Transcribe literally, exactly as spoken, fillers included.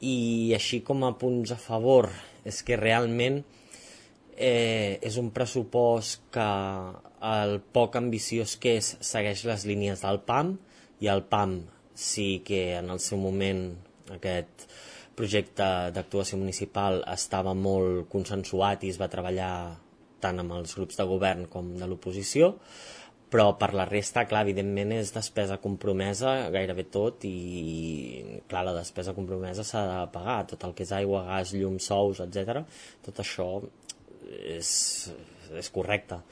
I així com a punts a favor, és que realment eh, és un pressupost que el poc ambiciós que és segueix les línies del P A M, i el P A M sí que en el seu moment aquest projecte d'actuació municipal estava molt consensuat i es va treballar tant amb els grups de govern com de l'oposició, però per la resta, clar, evidentment és despesa compromesa gairebé tot, i clar, la despesa compromesa s'ha de pagar, tot el que és aigua, gas, llum, sous, etcètera. Tot això és, és correcte.